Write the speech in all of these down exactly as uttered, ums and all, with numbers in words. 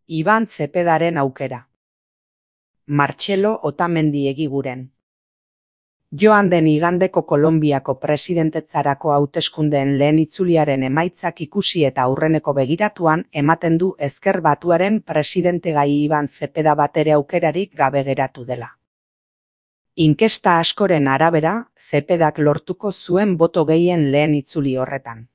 Iban Zepedaren aukera. Martxelo Otamendi Egiguren. Joan den igandeko Kolonbiako presidentetzarako hauteskundeen lehen itzuliaren emaitzak ikusi eta aurreneko begiratuan ematen du Ezker Batuaren presidentegai Iban Zepeda batere aukerarik gabe geratu dela. Inkesta askoren arabera, Zepedak lortuko zuen boto gehien lehen itzuli horretan.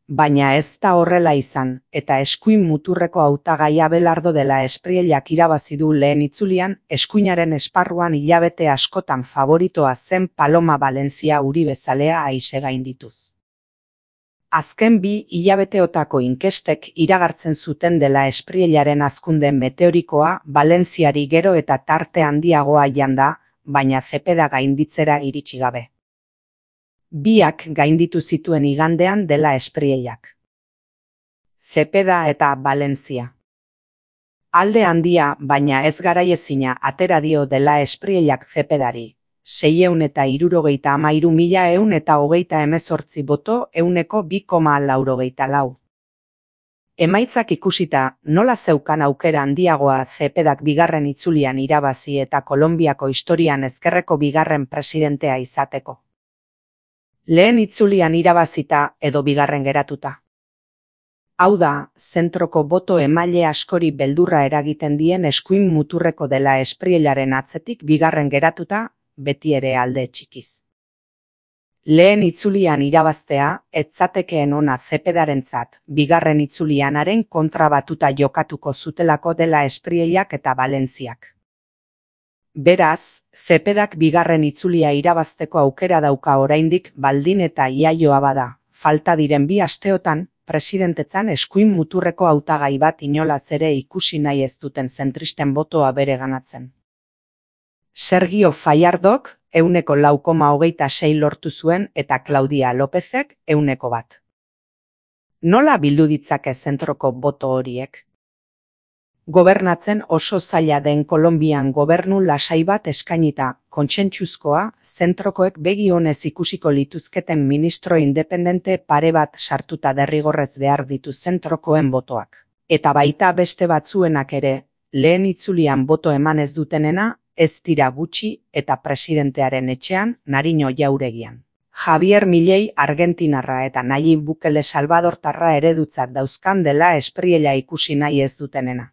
Baina ez da horrela izan, eta eskuin muturreko hautagai Abelardo de la Espriellak irabazi du lehen itzulian, eskuinaren esparruan hilabete askotan favoritoa zen Paloma Valencia Uribezalea aise gaindituz. Azken bi hilabeteotako inkestek iragartzen zuten de la Espriellaren hazkunde meteorikoa Valenciari gero eta tarte handiagoa janda, baina Zepeda gainditzera iritsi gabe. Biak gainditu zituen igandean de la Espriellak. Zepeda eta Valencia. Alde handia, baina ez garaiezina atera dio de la Espriellak Zepedari. Seiehun eta hirurogeita hamairu mila ehun eta hogeita hemezortzi boto ehuneko bi koma laurogeita lau. Emaitzak ikusita, nola zeukan aukera handiagoa Zepedak bigarren itzulian irabazi eta Kolonbiako historian ezkerreko bigarren presidentea izateko. Lehen itzulian irabazita edo bigarren geratuta. Hau da, zentroko boto emaile askori beldurra eragiten dien eskuin muturreko de la Espriellaren atzetik bigarren geratuta, beti ere alde txikiz. Lehen itzulian irabaztea, etzatekeen ona Zepedarentzat, bigarren itzulianaren kontra batuta jokatuko zutelako de la Espriellak eta Valenciak. Beraz, Zepedak bigarren itzulia irabazteko aukera dauka oraindik baldin eta iaioa bada, falta diren bi asteotan, presidentetzan eskuin muturreko hautagai bat inolaz ere ikusi nahi ez duten zentristen botoa bereganatzen. Sergio Fallardok ehuneko lau koma hogeita sei lortu zuen eta Claudia Lópezek ehuneko bat. Nola bildu ditzake zentroko boto horiek? Gobernatzen oso zaila den Kolonbian gobernu lasai bat eskainita, kontsentsuzkoa, zentrokoek begi onez ikusiko lituzketen ministro independente pare bat sartuta derrigorrez behar ditu zentrokoen botoak. Eta baita beste batzuenak ere, lehen itzulian boto eman ez dutenena, ez dira gutxi eta presidentearen etxean Nariño jauregian. Javier Milei Argentinarra eta Nayib Bukele Salvadortarra eredutzat dauzkan de la Espriella ikusi nahi ez dutenena.